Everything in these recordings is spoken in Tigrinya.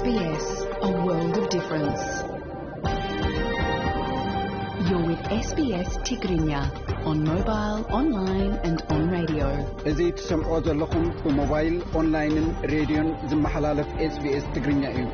S B S, a world of difference. You're with S B S Tigrinya on mobile, online and on radio. እዚ ትሰምዖ ዘለኹም ብሞባይል፣ ኦንላይንን ሬድዮን ዝመሓላለፍ SBS ትግርኛ እዩ።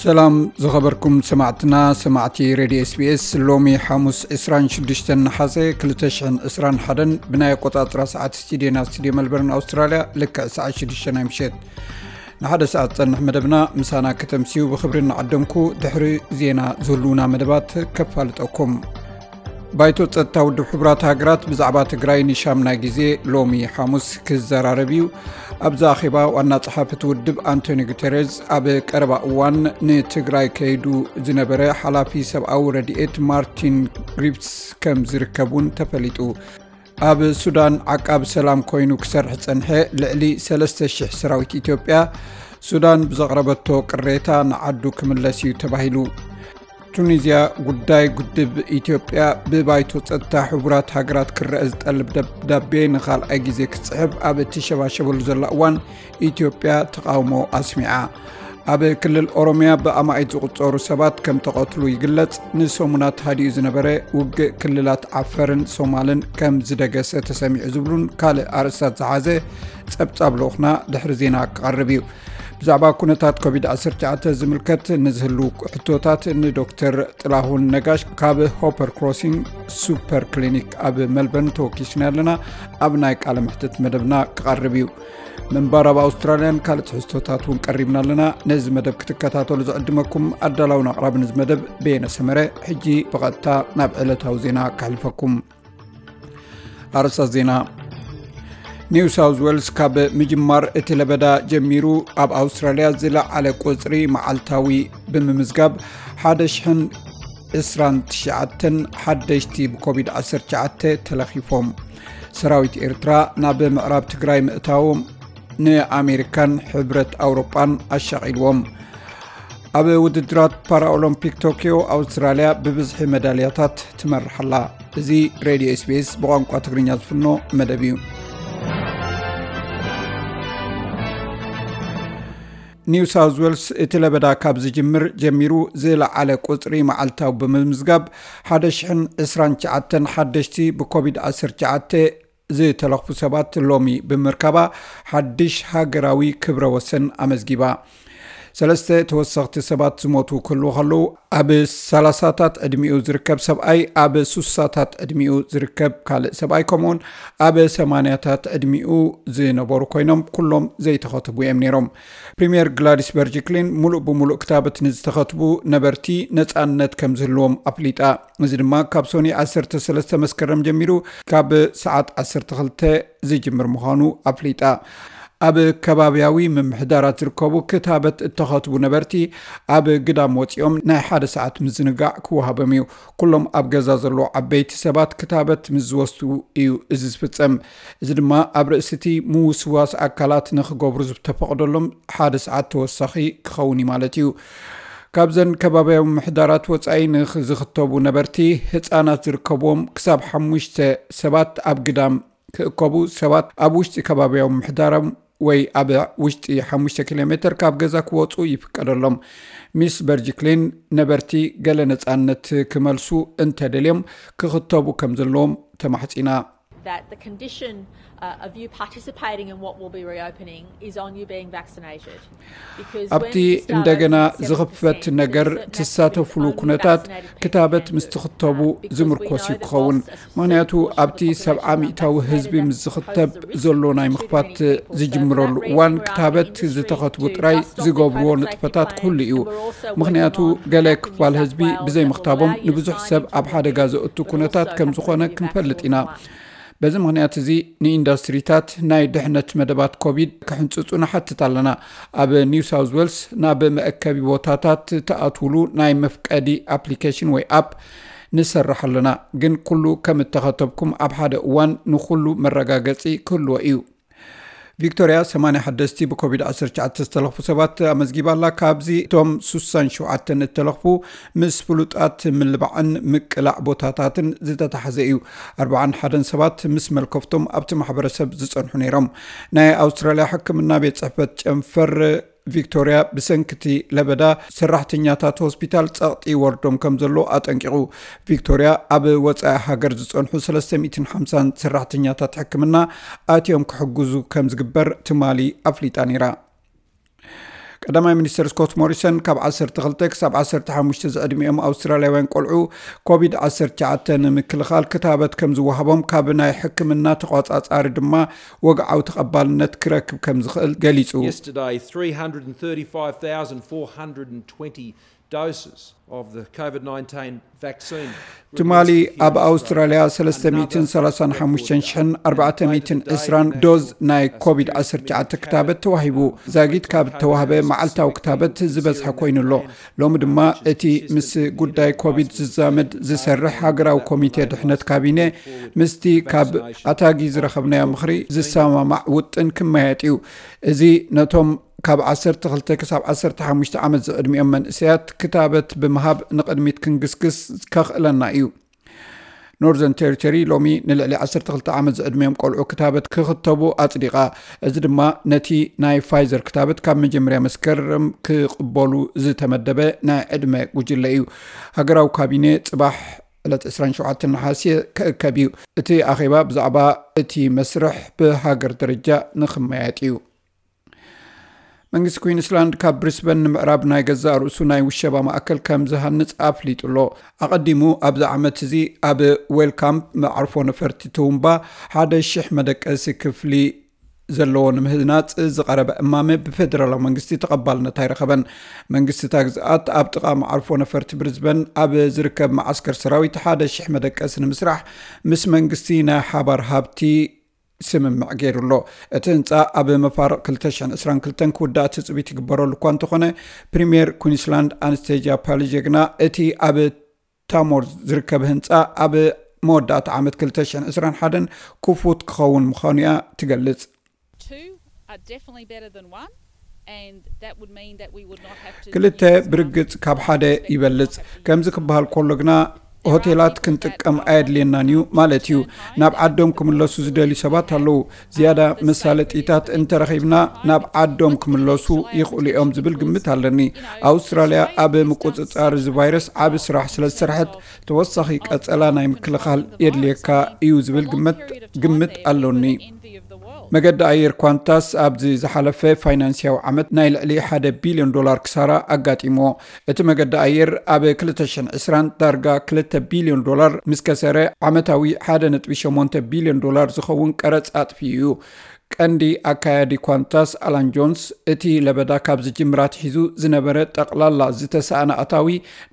ሰላም ዝኸበርኩም ሰማዕትና፣ ሰማዕቲ ሬድዮ SBS። ሎሚ ሓሙስ ዕስራን ሽዱሽተን ነሓሰ ክልተ ሽሕን ዕስራን ሓደን ብናይ ኣቆጻጽራ ሰዓት ስቱዲዮና፣ ስቱዲዮ መልበርን ኣውስትራልያ፣ ልክዕ ሰዓት ሽዱሽተ ናይ ምሸት። ንሓደ ሰዓት ዝጸንሕ መደብና ምሳና ከተምስዩ ብኽብሪ እናዓደምኩ፣ ድሕሪ ዜና ዝህልዉና መደባት ከፋልጠኩም። ባይቶ ጸጥታ ውድብ ሕቡራት ሃገራት ብዛዕባ ትግራይ ንሻምናይ ግዜ ሎሚ ሓሙስ ክዘራረብ እዩ። ኣብዚ ኣኼባ ዋና ጸሓፊ እቲ ውድብ ኣንቶኒ ጉተሬዝ ኣብ ቀረባ እዋን ንትግራይ ከይዱ ዝነበረ ሓላፊ ሰብኣዊ ረድኤት ማርቲን ግሪፍትስ ከም ዝርከብ እውን ተፈሊጡ። ኣብ ሱዳን ዓቃብ ሰላም ኮይኑ ክሰርሕ ዝጸንሐ ልዕሊ ሰለስተ ሽሕ ሰራዊት ኢትዮጵያ፣ ሱዳን ብዘቕረበቶ ቅሬታ ንዓዱ ክምለስ እዩ ተባሂሉ። ቱኒዝያ፣ ጉዳይ ግድብ ኢትዮጵያ ብባይቶ ጸጥታ ሕቡራት ሃገራት ክረአ ዝጠልብ ደብዳቤ ንኻልኣይ ግዜ ክትጽሕፍ ኣብ እትሸባሸበሉ ዘላ እዋን፣ ኢትዮጵያ ተቓውሞ ኣስሚዓ። ኣብ ክልል ኦሮሚያ ብኣማኢት ዝቑጸሩ ሰባት ከም ተቐትሉ ይግለጽ። ንሰሙናት ሃዲኡ ዝነበረ ውግእ ክልላት ዓፈርን ሶማልን ከም ዝደገሰ ተሰሚዑ ዝብሉን ካልእ ኣርእስታት ዝሓዘ ጸብጻብ ልኡኽና ድሕሪ ዜና ክቐርብ እዩ። ብዛዕባ ኩነታት ኮቪድ ዓሰርተ ትሽዓተ ዝምልከት ንዝህሉ ሕቶታት ንዶክተር ጥላሁን ነጋሽ ካብ ሆፐር ክሮሲንግ ሱፐር ክሊኒክ ኣብ መልበርን ተወኪስና ኣለና። ኣብ ናይ ቃለ መሕትት መደብና ክቐርብ እዩ። ምንባር ኣብ ኣውስትራልያን ካልእ ትሕዝቶታት እውን ቀሪብና ኣለና። ነዚ መደብ ክትከታተሉ ዝዕድመኩም ኣዳላውን ኣቕራብን እዚ መደብ በየነ ሰመረ። ሕጂ ብቐጥታ ናብ ዕለታዊ ዜና ከሕልፈኩም። ኣርእስታት ዜና። ኒው ሳውዝ ዌልስ ካብ ምጅማር እቲ ለበዳ ጀሚሩ ኣብ ኣውስትራልያ ዝለዓለ ቁጽሪ መዓልታዊ ብምምዝጋብ ሓደ ሽሕን ዕስራን ትሽዓተን ሓደሽቲ ብኮቪድ ዓሰርተ ትሽዓተ ተለኺፎም። ሰራዊት ኤርትራ ናብ ምዕራብ ትግራይ ምእታዎም ንኣሜሪካን ሕብረት ኣውሮጳን ኣሻቒልዎም። ኣብ ውድድራት ፓራኦሎምፒክ ቶኪዮ ኣውስትራልያ ብብዝሒ መዳልያታት ትመርሕ ኣላ። እዚ ሬድዮ SBS ብቋንቋ ትግርኛ ዝፍኖ መደብ እዩ። ኒው ሳውዝ ዌልስ እቲ ለበዳ ካብ ዝጅምር ጀሚሩ ዝለዓለ ቁጽሪ መዓልታዊ ብምምዝጋብ ሓደ ሽሕን ዕስራን ትሽዓተን ሓደሽቲ ብኮቪድ ዓሰርተ ትሽዓተ ዝተለኽፉ ሰባት ሎሚ ብምርካባ ሓድሽ ሃገራዊ ክብረ ወሰን ኣመዝጊባ። ሰለስተ ተወሰኽቲ ሰባት ዝሞቱ ክህልዉ ከለዉ፣ ኣብ ሰላሳታት ዕድሚኡ ዝርከብ ሰብኣይ፣ ኣብ ሱሳታት ዕድሚኡ ዝርከብ ካልእ ሰብኣይ፣ ከምኡውን ኣብ ሰማንያታት ዕድሚኡ ዝነበሩ ኮይኖም፣ ኩሎም ዘይተኸትቡ እዮም ነይሮም። ፕሪምየር ግላዲስ በርጅክሊን፣ ሙሉእ ብሙሉእ ክታበት ንዝተኸትቡ ነበርቲ ነጻነት ከም ዝህልዎም ኣፍሊጣ። እዚ ድማ ካብ ሶኒ ዓሰርተ ሰለስተ መስከረም ጀሚሩ ካብ ሰዓት ዓሰርተ ክልተ ዝጅምር ምዃኑ ኣፍሊጣ። ኣብ ከባብያዊ ምምሕዳራት ዝርከቡ ክታበት እተኸትቡ ነበርቲ ኣብ ግዳም ወጺኦም ናይ ሓደ ሰዓት ምዝንጋዕ ክወሃቦም እዩ። ኩሎም ኣብ ገዛ ዘለዉ ዓበይቲ ሰባት ክታበት ምስ ዝወስዱ እዩ እዚ ዝፍጸም። እዚ ድማ ኣብ ርእሲ እቲ ምውስዋስ ኣካላት ንኽገብሩ ዝተፈቕደሎም ሓደ ሰዓት ተወሳኺ ክኸውን እዩ ማለት እዩ። ካብዘን ከባብያዊ ምምሕዳራት ወጻኢ ንዝኽተቡ ነበርቲ፣ ህጻናት ዝርከብዎም ክሳብ ሓሙሽተ ሰባት ኣብ ግዳም ክእከቡ፣ ሰባት ኣብ ውሽጢ ከባብያዊ ምምሕዳሮም ወይ ኣብ ውሽጢ ሓሙሽተ ኪሎ ሜተር ካብ ገዛ ክወጹ ይፍቀደሎም። ሚስ በርጅክሊን ነበርቲ ገለ ነጻነት ክመልሱ እንተደልዮም ክኽተቡ ከም ዘለዎም ተማሕጺና። That the condition uh, of you participating in what will be reopening is on you being vaccinated. Because when ኣብቲ we start እንደገና opening seven ዝኽፈት percent, ነገር there is a certain ትሳተፍሉ aspect of ኩነታት vaccinated people ክታበት can ምስ do, ትኽተቡ uh, because we ዝምርኮስ know እዩ the ክኸውን። vast ምኽንያቱ proportion of the ኣብቲ population ሰብዓ not ሚእታዊ vaccinated ህዝቢ that ምስ pose ዝኽተብ the risk ዘሎ ናይ to ምኽፋት many people. So for ዝጅምረሉ that reason, እዋን we're ክታበት asking industry ዝተኸትቡ to ጥራይ stop their ዝገብርዎ private safety ንጥፈታት plans, ክህሉ እዩ። and we're also ምኽንያቱ working on ገለ a map in ክፋል New South ህዝቢ Wales that will ብዘይምኽታቦም allow you to ንብዙሕ sign ሰብ into ኣብ ሓደጋ working, ዘእቱ but ኩነታት also ከም have ዝኾነ to be ክንፈልጥ vaccinated ኢና። one. በዚ ምኽንያት እዚ ንኢንዱስትሪታት ናይ ድሕነት መደባት ኮቪድ ክሕንጽጹ ንሓትት ኣለና። ኣብ ኒው ሳውዝ ዌልስ ናብ መእከቢ ቦታታት ትኣትውሉ ናይ መፍቀዲ ኣፕሊኬሽን ወይ ኣፕ ንሰርሕ ኣለና፣ ግን ኩሉ ከም እተኸተብኩም ኣብ ሓደ እዋን ንኹሉ መረጋገጺ ክህልዎ እዩ። ቪክቶርያ ሰማንያ ሓደስቲ ብኮቪድ ዓሰርተ ትሽዓተ ዝተለኽፉ ሰባት ኣመዝጊባ ኣላ። ካብዚ እቶም ስሳን ሸውዓተን እተለኽፉ ምስ ፍሉጣት ምልባዕን ምቅላዕ ቦታታትን ዝተታሓዘ እዩ። ኣርባዓን ሓደን ሰባት ምስ መልከፍቶም ኣብቲ ማሕበረሰብ ዝጸንሑ ነይሮም። ናይ ኣውስትራልያ ሕክምና ቤት ጽሕፈት ጨንፈር ቪክቶርያ ብሰንክቲ ለበዳ ሰራሕተኛታት ሆስፒታል ጸቕጢ ይወርዶም ከም ዘሎ ኣጠንቂቑ። ቪክቶርያ ኣብ ወጻኢ ሃገር ዝጸንሑ ሰለስተ ሚእትን ሓምሳን ሰራሕተኛታት ሕክምና ኣትዮም ክሕግዙ ከም ዝግበር ትማሊ ኣፍሊጣ ነይራ። ቀዳማይ ሚኒስትር ስኮት ሞሪሰን ካብ ዓሰርተ ክልተ ክሳብ ዓሰርተ ሓሙሽተ ዝዕድሚኦም ኣውስትራልያውያን ቆልዑ ኮቪድ ዓሰርተ ትሽዓተ ንምክልኻል ክታበት ከም ዝወሃቦም ካብ ናይ ሕክምና ተቋጻጻሪ ድማ ወግዓዊ ተቐባልነት ክረክብ ከም ዝኽእል ገሊጹ። Yesterday, three hundred and thirty-five thousand four hundred and twenty doses of the COVID nineteen vaccine. ትማሊ ኣብ ኣውስትራልያ ሰለስተ ሚእትን ሰላሳን ሓሙሽተን ሽሕን ኣርባዕተ ሚእትን ዕስራን ዶዝ ናይ ኮቪድ ዓሰርተ ትሽዓተ ክታበት ተዋሂቡ። ዛጊት ካብ ተዋህበ መዓልታዊ ክታበት ዝበዝሐ ኮይኑ ኣሎ። ሎሚ ድማ እቲ ምስ ጉዳይ ኮቪድ ዝዛመድ ዝሰርሕ ሃገራዊ ኮሚቴ ድሕነት ካቢነ ምስቲ ካብ ኣታጊ ዝረኸብናዮ ምኽሪ ዝሰማማዕ ውጥን ክመያየጥ እዩ። እዚ ነቶም ካብ ዓሰርተ ክልተ ክሳብ ዓሰርተ ሓሙሽተ ዓመት ዝዕድሚኦም መንእሰያት ክታበት ብምሃብ ንቕድሚት ክንግስግስ ከኽእለና እዩ። ኖርዘርን ቴሪቶሪ ሎሚ ንልዕሊ ዓሰርተ ክልተ ዓመት ዝዕድሚኦም ቆልዑ ክታበት ክኽተቡ ኣጽዲቓ። እዚ ድማ ነቲ ናይ ፋይዘር ክታበት ካብ መጀመርያ መስከረም ክቕበሉ ዝተመደበ ናይ ዕድመ ጉጅለ እዩ። ሃገራዊ ካቢነ ጽባሕ ዕለት ዕስራን ሸውዓተን ነሓሰ ክእከብ እዩ። እቲ ኣኼባ ብዛዕባ እቲ መስርሕ ብሃገር ደረጃ ንኽመያየጥ እዩ። መንግስቲ ኩዊንስላንድ ካብ ብሪስበን ንምዕራብ ናይ ገዛእ ርእሱ ናይ ውሸባ ማእከል ከም ዝሃንጽ ኣፍሊጡ ኣሎ። ኣቐዲሙ ኣብዚ ዓመት እዚ ኣብ ዌልካምፕ መዓርፎ ነፈርቲ ትውምባ ሓደ ሽሕ መደቀሲ ክፍሊ ዘለዎ ንምህናጽ ዝቐረበ እማመ ብፌደራላዊ መንግስቲ ተቐባልነት ኣይረኸበን። መንግስቲ እታ ግዝኣት ኣብ ጥቓ መዓርፎ ነፈርቲ ብሪዝበን ኣብ ዝርከብ መዓስከር ሰራዊት ሓደ ሽሕ መደቀሲ ንምስራሕ ምስ መንግስቲ ናይ ሓባር ሃብቲ ስምምዕ ገይሩ ኣሎ። እቲ ህንፃ ኣብ መፋርቕ ክልተ ሽሕን ዕስራን ክልተን ክውዳእ ትፅቢት ይግበረሉ እኳ እንተኾነ፣ ፕሪምየር ኩንስላንድ ኣንስቴጃ ፓሊጀ ግና እቲ ኣብ ታሞር ዝርከብ ህንፃ ኣብ መወዳእታ ዓመት ክልተ ሽሕን ዕስራን ሓደን ክፉት ክኸውን ምዃኑ እያ ትገልጽ። Two are definitely better than one, and that would mean that we would not have to ክልተ use ብርግጽ ካብ ሓደ ይበልጽ። ከምዚ ክበሃል ከሎ ግና ሆቴላት ክንጥቀም ኣየድልየናን እዩ ማለት እዩ። ናብ ዓዶም ክምለሱ ዝደልዩ ሰባት ኣለዉ። ዝያዳ መሳለጢታት እንተረኺብና ናብ ዓዶም ክምለሱ ይኽእሉ እዮም ዝብል ግምት ኣለኒ። ኣውስትራልያ ኣብ ምቁጽጻር እዚ ቫይረስ ዓቢ ስራሕ ስለ ዝሰርሐት፣ ተወሳኺ ቀጸላ ናይ ምክልኻል የድልየካ እዩ ዝብል ግምት፣ ግምት ኣሎኒ። መገዲ ኣየር ኳንታስ ኣብዚ ዝሓለፈ ፋይናንስያዊ ዓመት ናይ ልዕሊ ሓደ ቢልዮን ዶላር ክሳራ ኣጋጢምዎ። እቲ መገዲ ኣየር ኣብ ክልተ ሽሕን ዕስራን ዳርጋ ክልተ ቢልዮን ዶላር ምስ ከሰረ፣ ዓመታዊ ሓደ ነጥቢ ሸሞንተ ቢልዮን ዶላር ዝኸውን ቀረጽ ኣጥፊኡ እዩ። ቀንዲ ኣካያዲ ኳንታስ ኣላን ጆንስ፣ እቲ ለበዳ ካብ ዝጅምር ኣትሒዙ ዝነበረ ጠቕላላ ዝተሳእነ ኣታዊ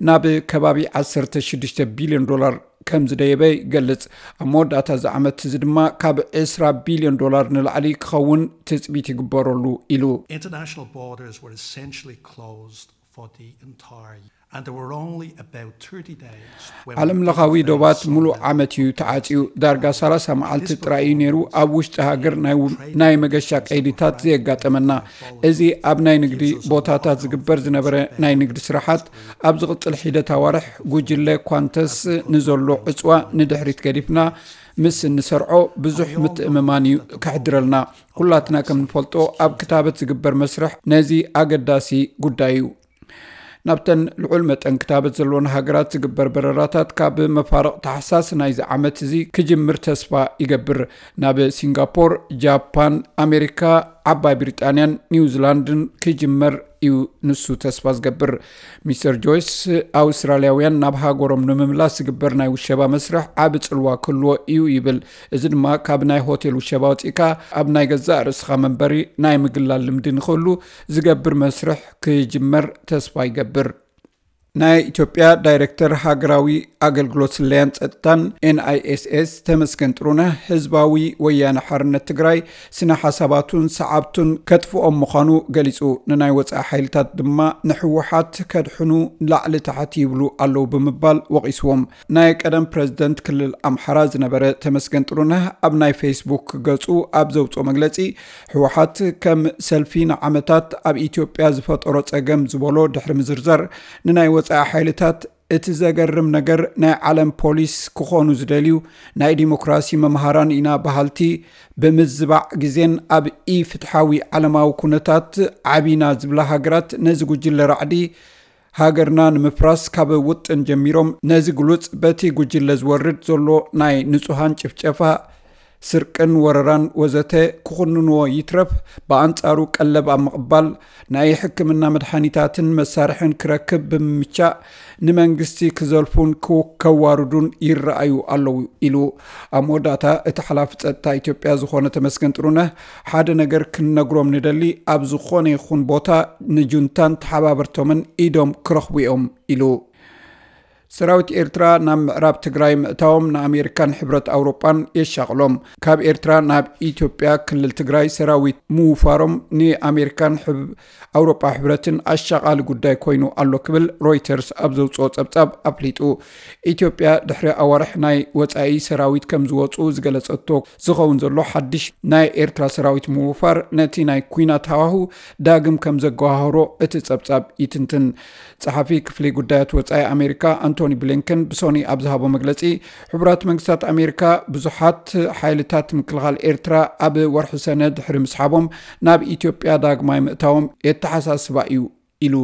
ናብ ከባቢ ዓሰርተ ሽዱሽተ ቢልዮን ዶላር ከም ዝደየበ ይገልጽ። ኣብ መወዳእታ እዚ ዓመት እዚ ድማ ካብ ዕስራ ቢልዮን ዶላር ንላዕሊ ክኸውን ትጽቢት ይግበረሉ ኢሉ። International borders were essentially closed for the entire year. And there were only about thirty days when we ዓለም ለኻዊ didn't ዶባት face ሙሉእ some ዓመት እዩ። ዳርጋ ሰላሳ መዓልቲ ጥራይ እዩ ነይሩ ኣብ ውሽጢ ሃገር ናይ ው-፣ ናይ መገሻ ቀይዲታት ዘየጋጠመና። እዚ ኣብ ናይ ንግዲ ቦታታት ዝግበር ዝነበረ ናይ ንግዲ ስራሓት ኣብ ዝቕጽል ሒደት ኣዋርሕ ጉጅለ ኳንተስ ንዘሎ ዕጽዋ ንድሕሪት ገዲፍና ምስ እንሰርዖ ብዙሕ ምትእምማን እዩ ከሕድረልና። ኩላትና ከም ንፈልጦ ኣብ ክታበት ዝግበር መስርሕ ነዚ ኣገዳሲ ጉዳይ እዩ። ናብተን ልዑል መጠን ክታበት ዘለወን ሃገራት ዝግበር በረራታት ካብ መፋርቕ ታሕሳስ ናይዚ ዓመት እዚ ክጅምር ተስፋ ይገብር። ናብ ሲንጋፖር፣ ጃፓን፣ ኣሜሪካ፣ ዓባይ ብሪጣንያን ኒውዚላንድን ክጅመር እዩ ንሱ ተስፋ ዝገብር። ሚስተር ጆይስ፣ ኣውስትራልያውያን ናብ ሃገሮም ንምምላስ ዝግበር ናይ ውሸባ መስርሕ ዓቢ ጽልዋ ክህልዎ እዩ ይብል። እዚ ድማ ካብ ናይ ሆቴል ውሸባ ወጺእካ ኣብ ናይ ገዛእ ርእስኻ መንበሪ ናይ ምግላል ልምዲ ንኽህሉ ዝገብር መስርሕ ክጅመር ተስፋ ይገብር። ናይ ኢትዮጵያ ዳይሬክተር ሃገራዊ ኣገልግሎት ስለያን ጸጥታን ኤንኣይኤስኤስ ተመስገን ጥሩነህ፣ ህዝባዊ ወያነ ሓርነት ትግራይ ስነ ሓሳባቱን ሰዓብቱን ከጥፍኦም ምዃኑ ገሊጹ፣ ንናይ ወጻኢ ሓይልታት ድማ ንህወሓት ከድሕኑ ላዕሊ ታሕቲ ይብሉ ኣለዉ ብምባል ወቒስዎም። ናይ ቀደም ፕረዚደንት ክልል ኣምሓራ ዝነበረ ተመስገን ጥሩነህ ኣብ ናይ ፌስቡክ ገጹ ኣብ ዘውፅኦ መግለጺ፣ ህወሓት ከም ሰልፊ ንዓመታት ኣብ ኢትዮጵያ ዝፈጠሮ ጸገም ዝበሎ ድሕሪ ምዝርዛር፣ ንናይ ወጻኢ ሓይልታት እቲ ዘገርም ነገር ናይ ዓለም ፖሊስ ክኾኑ ዝደልዩ ናይ ዲሞክራሲ መምሃራን ኢና በሃልቲ ብምዝባዕ ግዜን ኣብ ኢፍትሓዊ ዓለማዊ ኩነታት ዓቢና ዝብላ ሃገራት ነዚ ጉጅለ ራዕዲ ሃገርና ንምፍራስ ካብ ውጥን ጀሚሮም ነዚ ግሉጽ በቲ ጉጅለ ዝወርድ ዘሎ ናይ ንጹሃን ጭፍጨፋ፣ ስርቅን ወረራን ወዘተ ክኹንንዎ ይትረፍ፣ ብኣንጻሩ ቀለብ ኣብ ምቕባል ናይ ሕክምና መድሓኒታትን መሳርሕን ክረክብ ብምምቻእ ንመንግስቲ ክዘልፉን ክው-፣ ከዋርዱን ይረኣዩ ኣለዉ ኢሉ። ኣብ መወዳእታ እቲ ሓላፊ ጸጥታ ኢትዮጵያ ዝኾነ ተመስገን ጥሩነህ፣ ሓደ ነገር ክንነግሮም ንደሊ፣ ኣብ ዝኾነ ይኹን ቦታ ንጁንታን ተሓባበርቶምን ኢዶም ክረኽቡ እዮም ኢሉ። ሰራዊት ኤርትራ ናብ ምዕራብ ትግራይ ምእታዎም ንኣሜሪካን ሕብረት ኣውሮጳን የሻቕሎም። ካብ ኤርትራ ናብ ኢትዮጵያ ክልል ትግራይ ሰራዊት ምውፋሮም ንኣሜሪካን ሕብ-፣ ኣውሮጳ ሕብረትን ኣሻቓሊ ጉዳይ ኮይኑ ኣሎ ክብል ሮይተርስ ኣብ ዘውፅኦ ጸብጻብ ኣፍሊጡ። ኢትዮጵያ ድሕሪ ኣዋርሕ ናይ ወጻኢ ሰራዊት ከም ዝወፁ ዝገለጸቶ ዝኸውን ዘሎ ሓድሽ ናይ ኤርትራ ሰራዊት ምውፋር ነቲ ናይ ኲናት ሃዋሁ ዳግም ከም ዘገዋህሮ እቲ ጸብጻብ ይትንትን። ጸሓፊ ክፍሊ ጉዳያት ወጻኢ ኣሜሪካ ኣንቶኒ ብሊንከን ብሶኒ ኣብ ዝሃቦ መግለጺ፣ ሕቡራት መንግስታት ኣሜሪካ ብዙሓት ሓይልታት ምክልኻል ኤርትራ ኣብ ወርሒ ሰነ ድሕሪ ምስሓቦም ናብ ኢትዮጵያ ዳግማይ ምእታዎም የተሓሳስባ እዩ ኢሉ።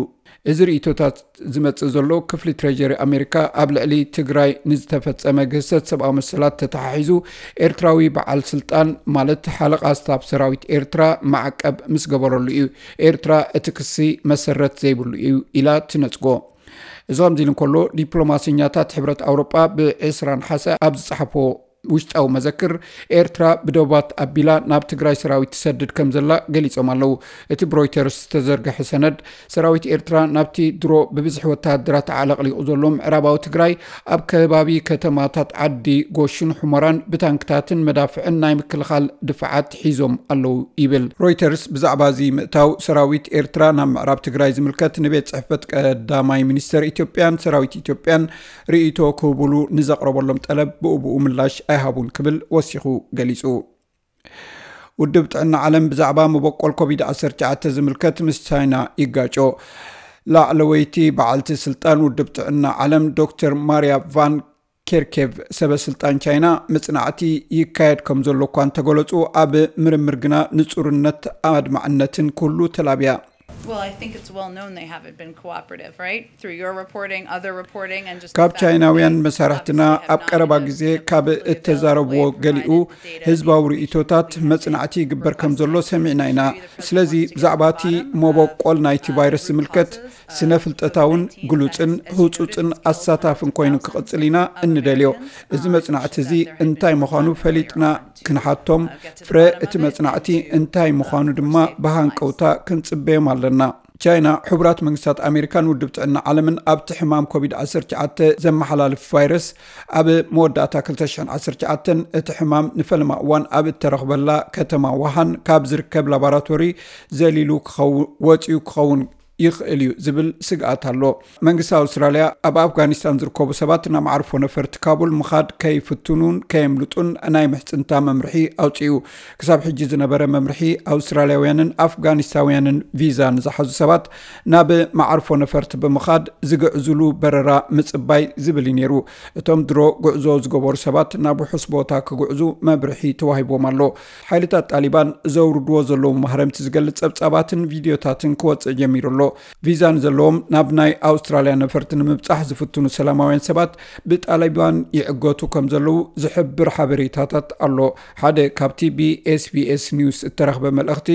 እዚ ርእይቶታት ዝመጽእ ዘሎ ክፍሊ ትሬጀሪ ኣሜሪካ ኣብ ልዕሊ ትግራይ ንዝተፈጸመ ግህሰት ሰብኣዊ መሰላት ተተሓሒዙ ኤርትራዊ በዓል ስልጣን ማለት ሓለቓ ስታፍ ሰራዊት ኤርትራ ማዕቀብ ምስ ገበረሉ እዩ። ኤርትራ እቲ ክሲ መሰረት ዘይብሉ እዩ ኢላ ትነጽጎ። እዚ ከምዚ ኢሉ እንከሎ፣ ዲፕሎማሰኛታት ሕብረት ኣውሮጳ ብ ዕስራ ነሓሰ ኣብ ዝጸሓፎ ውሽጣዊ መዘክር፣ ኤርትራ ብዶባት ኣቢላ ናብ ትግራይ ሰራዊት ትሰድድ ከም ዘላ ገሊጾም ኣለዉ። እቲ ብሮይተርስ ዝተዘርግሐ ሰነድ፣ ሰራዊት ኤርትራ ናብቲ ድሮ ብብዝሒ ወተሃደራት ኣዕለቕሊቑ ዘሎ ምዕራባዊ ትግራይ፣ ኣብ ከባቢ ከተማታት ዓዲ ጎሹን ሑመራን ብታንክታትን መዳፍዕን ናይ ምክልኻል ድፋዓት ሒዞም ኣለዉ ይብል። ሮይተርስ ብዛዕባ እዚ ምእታው ሰራዊት ኤርትራ ናብ ምዕራብ ትግራይ ዝምልከት ንቤት ጽሕፈት ቀዳማይ ሚኒስተር ኢትዮጵያን ሰራዊት ኢትዮጵያን ርእይቶ ክህቡሉ ንዘቕረበሎም ጠለብ ብኡብኡ ምላሽ ኣይሃቡን ክብል ወሲኹ ገሊጹ። ውድብ ጥዕና ዓለም ብዛዕባ መበቆል ኮቪድ ዓሰርተ ትሽዓተ ዝምልከት ምስ ቻይና ይጋጮ። ላዕለወይቲ በዓልቲ ስልጣን ውድብ ጥዕና ዓለም ዶክተር ማርያ ቫን ኬርኬቭ፣ ሰበ ስልጣን ቻይና መጽናዕቲ ይካየድ ከም ዘሎ እኳ እንተገለጹ፣ ኣብ ምርምር ግና ንጹርነት ኣድማዕነትን ክህሉ ተላብያ። Well, I think it's well known they haven't been cooperative, right? Through your reporting, other reporting, and just ካብ ቻይናውያን መሳርሕትና ኣብ ቀረባ ግዜ ካብ እተዛረብዎ ገሊኡ ህዝባዊ ርእይቶታት መጽናዕቲ ይግበር ከም ዘሎ ሰሚዕና ኢና። ስለዚ ብዛዕባ እቲ መበቆል ናይቲ ቫይረስ ዝምልከት ስነ ፍልጠታውን ግሉጽን ህጹጽን ኣሳታፍን ኮይኑ ክቕጽል ኢና እንደልዮ። እዚ መጽናዕቲ እዚ እንታይ ምዃኑ ፈሊጥና ክንሓቶም፣ ፍረ እቲ መጽናዕቲ እንታይ ምዃኑ ድማ ብሃንቀውታ ክንጽበዮም ኣለና። ቻይና፣ ሕቡራት መንግስታት ኣሜሪካን ውድብ ጥዕና ዓለምን ኣብቲ ሕማም ኮቪድ ዓሰርተ ትሽዓተ ዘመሓላልፍ ቫይረስ ኣብ መወዳእታ ክልተ ሽሕን ዓሰርተ ትሽዓተን እቲ ሕማም ንፈለማ እዋን ኣብ እተረኽበላ ከተማ ዋሃን ካብ ዝርከብ ላቦራቶሪ ዘሊሉ ክኸው-፣ ወጺኡ ክኸውን ይኽእል እዩ ዝብል ስግኣት ኣሎ። መንግስቲ ኣውስትራልያ ኣብ ኣፍጋኒስታን ዝርከቡ ሰባት ናብ መዓርፎ ነፈርቲ ካቡል ምኻድ ከይፍትኑን ከየምልጡን ናይ ምሕጽንታ መምርሒ ኣውጺኡ። ክሳብ ሕጂ ዝነበረ መምርሒ ኣውስትራልያውያንን ኣፍጋኒስታውያንን ቪዛ ንዝሓዙ ሰባት ናብ መዓርፎ ነፈርቲ ብምኻድ ዝግዕዙሉ በረራ ምጽባይ ዝብል እዩ ነይሩ። እቶም ድሮ ጉዕዞ ዝገበሩ ሰባት ናብ ውሑስ ቦታ ክጉዕዙ መብርሒ ተዋሂቦም ኣሎ። ሓይልታት ጣሊባን ዘውርድዎ ዘለዉ ማህረምቲ ዝገልጽ ጸብጻባትን ቪድዮታትን ክወጽእ ጀሚሩ ኣሎ። ቪዛ ንዘለዎም ናብ ናይ ኣውስትራልያ ነፈርቲ ንምብጻሕ ዝፍትኑ ሰላማውያን ሰባት ብጣሊባን ይዕገቱ ከም ዘለዉ ዝሕብር ሓበሬታታት ኣሎ። ሓደ ካብቲ ብ ኤስ ቢ ኤስ ኒውስ እተረኽበ መልእኽቲ፣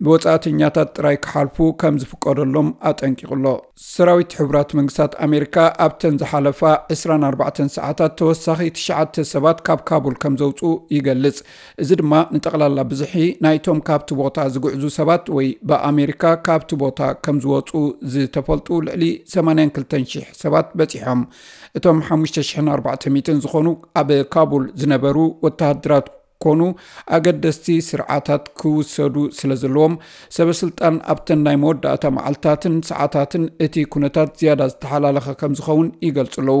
ብወጻእተኛታት ጥራይ ክሓልፉ ከም ዝፍቀደሎም ኣጠንቂቑ ኣሎ። ሰራዊት ሕቡራት መንግስታት ኣሜሪካ ኣብተን ዝሓለፋ ዕስራን ኣርባዕተን ሰዓታት ተወሳኺ ትሽዓተ ሰባት ካብ ካቡል ከም ዘውፅኡ ይገልጽ። እዚ ድማ ንጠቕላላ ብዝሒ ናይቶም ካብቲ ቦታ ዝጉዕዙ ሰባት ወይ ብኣሜሪካ ካብቲ ቦታ ከም ዝወፁ ዝተፈልጡ ልዕሊ ሰማንያን ክልተን ሽሕ ሰባት በፂሖም። እቶም ሓሙሽተ ሽሕን ኣርባዕተ ሚእትን ዝኾኑ ኣብ ካቡል ዝነበሩ ወተሃደራት ኮኑ ኣገደስቲ ስርዓታት ክውሰዱ ስለ ዘለዎም፣ ሰበስልጣን ኣብተን ናይ መወዳእታ መዓልታትን ሰዓታትን እቲ ኩነታት ዝያዳ ዝተሓላለኸ ከም ዝኸውን ይገልጹ ኣለዉ።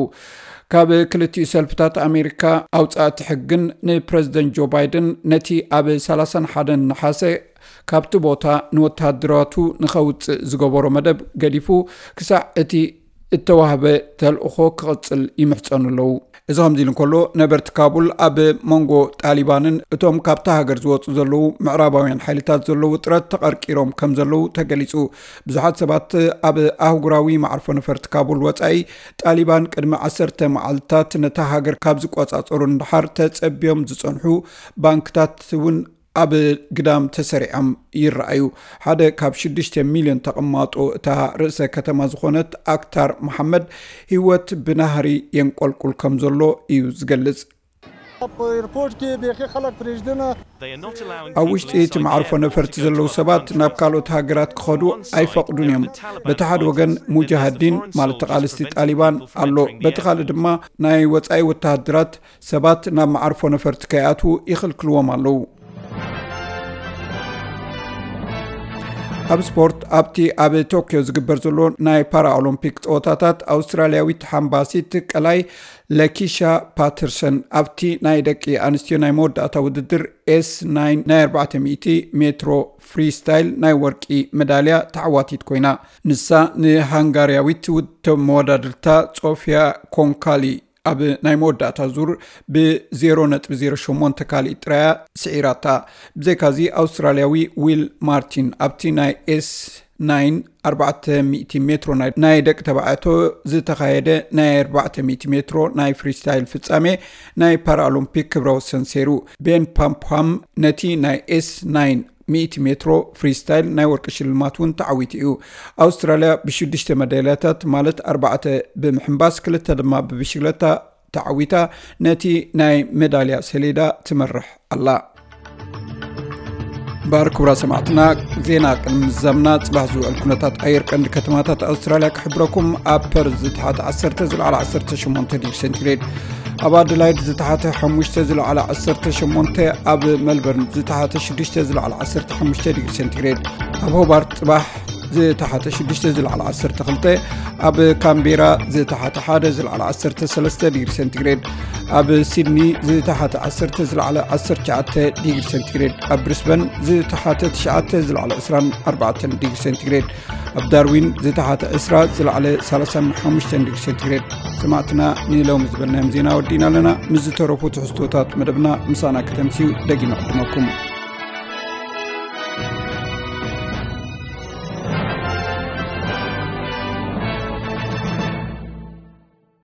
ካብ ክልቲኡ ሰልፍታት ኣሜሪካ ኣውጻእቲ ሕግን ንፕረዚደንት ጆ ባይደን ነቲ ኣብ ሰላሳን ሓደን ነሓሰ ካብቲ ቦታ ንወተሃደራቱ ንኸውጽእ ዝገበሮ መደብ ገዲፉ ክሳዕ እቲ እተዋህበ ተልእኾ ክቕጽል ይምሕጸኑ ኣለዉ። እዚ ከምዚ ኢሉ እንከሎ፣ ነበርቲ ካቡል ኣብ መንጎ ጣሊባንን እቶም ካብታ ሃገር ዝወጹ ዘለዉ ምዕራባውያን ሓይልታት ዘለዉ ውጥረት ተቐርቂሮም ከም ዘለዉ ተገሊጹ። ብዙሓት ሰባት ኣብ ኣህጉራዊ መዓርፎ ነፈርቲ ካቡል ወጻኢ፣ ጣሊባን ቅድሚ ዓሰርተ መዓልታት ነታ ሃገር ካብ ዝቆጻጸሩ ንደሓር ተጸብዮም ዝጸንሑ ባንክታት እውን ኣብ ግዳም ተሰሪዖም ይረኣዩ። ሓደ ካብ ሽዱሽተ ሚልዮን ተቐማጦ እታ ርእሰ ከተማ ዝኾነት ኣክታር መሓመድ፣ ህይወት ብናህሪ የንቆልቁል ከም ዘሎ እዩ ዝገልጽ። په ایرپورټ کې بیخي خلک پرېږدنه ኣብ ውሽጢ እቲ መዓርፎ ነፈርቲ ዘለዉ ሰባት ናብ ካልኦት ሃገራት ክኸዱ ኣይፈቕዱን እዮም። በቲ ሓደ ወገን ሙጃሃዲን ማለት ተቓለስቲ ጣሊባን ኣሎ፣ በቲ ካልእ ድማ ናይ ወጻኢ ወተሃደራት ሰባት ናብ መዓርፎ ነፈርቲ ከይኣትዉ ይኽልክልዎም ኣለዉ። ኣብ ስፖርት፣ ኣብቲ ኣብ ቶክዮ ዝግበር ዘሎ ናይ ፓራኦሎምፒክ ፀወታታት ኣውስትራልያዊት ሓምባሲት ቀላይ ለኪሻ ፓተርሰን ኣብቲ ናይ ደቂ ኣንስትዮ ናይ መወዳእታ ውድድር ኤስ ናይን ናይ ኣርባዕተ ሚእቲ ሜትሮ ፍሪስታይል ናይ ወርቂ መዳልያ ተዓዋቲት ኮይና። ንሳ ንሃንጋርያዊት ውድብ መወዳድርታ ጾፊያ ኮንካሊ ኣብ ናይ መወዳእታ ዙር ብ ዜሮ ነጥቢ ዜሮ ሸሞንተ ካልኢት ጥራያ ስዒራታ። ብዘይካዚ ኣውስትራልያዊ ዊል ማርቲን ኣብቲ ናይ ኤስ ናይን ኣርባዕተ ሚእቲ ሜትሮ ናይ ናይ ደቂ ተባዕትዮ ዝተኻየደ ናይ ኣርባዕተ ሚእቲ ሜትሮ ናይ ፍሪስታይል ፍጻሜ ናይ ፓራኦሎምፒክ ክብረ ወሰን ሰይሩ። ቤን ፓምፕሃም ነቲ ናይ ኤስ ናይን ሚእቲ ሜትሮ ፍሪስታይል ናይ ወርቂ ሽልማት እውን ተዓዊቱ እዩ። ኣውስትራልያ ብሽዱሽተ መዳልያታት ማለት ኣርባዕተ ብምሕንባስ ክልተ ድማ ብብሽክለታ ተዓዊታ ነቲ ናይ መዳልያ ሰሌዳ ትመርሕ ኣላ። ባር ክቡራ ሰማዕትና፣ ዜና ቅድሚ ምዛምና ጽባሕ ዝውዕል ኩነታት ኣየር ቀንዲ ከተማታት ኣውስትራልያ ክሕብረኩም። ኣብ ፐርዝ ዝተሓተ ዓሰርተ ዝለዓለ ዓሰርተ ሸሞንተ ዲግሪ ሴንቲግሬድ፣ ኣብ ኣደላይድ ዝተሓተ ሓሙሽተ ዝለዓለ ዓሰርተ ሸሞንተ፣ ኣብ መልበርን ዝተሓተ ሽዱሽተ ዝለዓለ ዓሰርተ ሓሙሽተ ዲግሪ ሴንቲግሬድ፣ ኣብ ሆባርት ጽባሕ ዝተሓተ ሽዱሽተ ዝለዓለ ዓሰርተ ክልተ፣ ኣብ ካምቤራ ዝተሓተ ሓደ ዝለዓለ ዓሰርተ ሰለስተ ዲግሪ ሴንቲግሬድ፣ ኣብ ሲድኒ ዝተሓተ ዓሰርተ ዝለዓለ ዓሰርተ ትሽዓተ ዲግሪ ሴንቲግሬድ፣ ኣብ ብሪስበን ዝተሓተ ትሽዓተ ዝለዓለ ዕስራን ኣርባዕተን ዲግሪ ሴንቲግሬድ፣ ኣብ ዳርዊን ዝተሓተ ዕስራ ዝለዓለ ሰላሳን ሓሙሽተን ዲግሪ ሴንቲግሬድ። ሰማዕትና፣ ንሎሚ ዝበልናዮም ዜና ወዲእና ኣለና። ምስ ዝተረፉ ትሕዝቶታት መደብና ምሳና ከተምስዩ ደጊመ ዕድመኩም።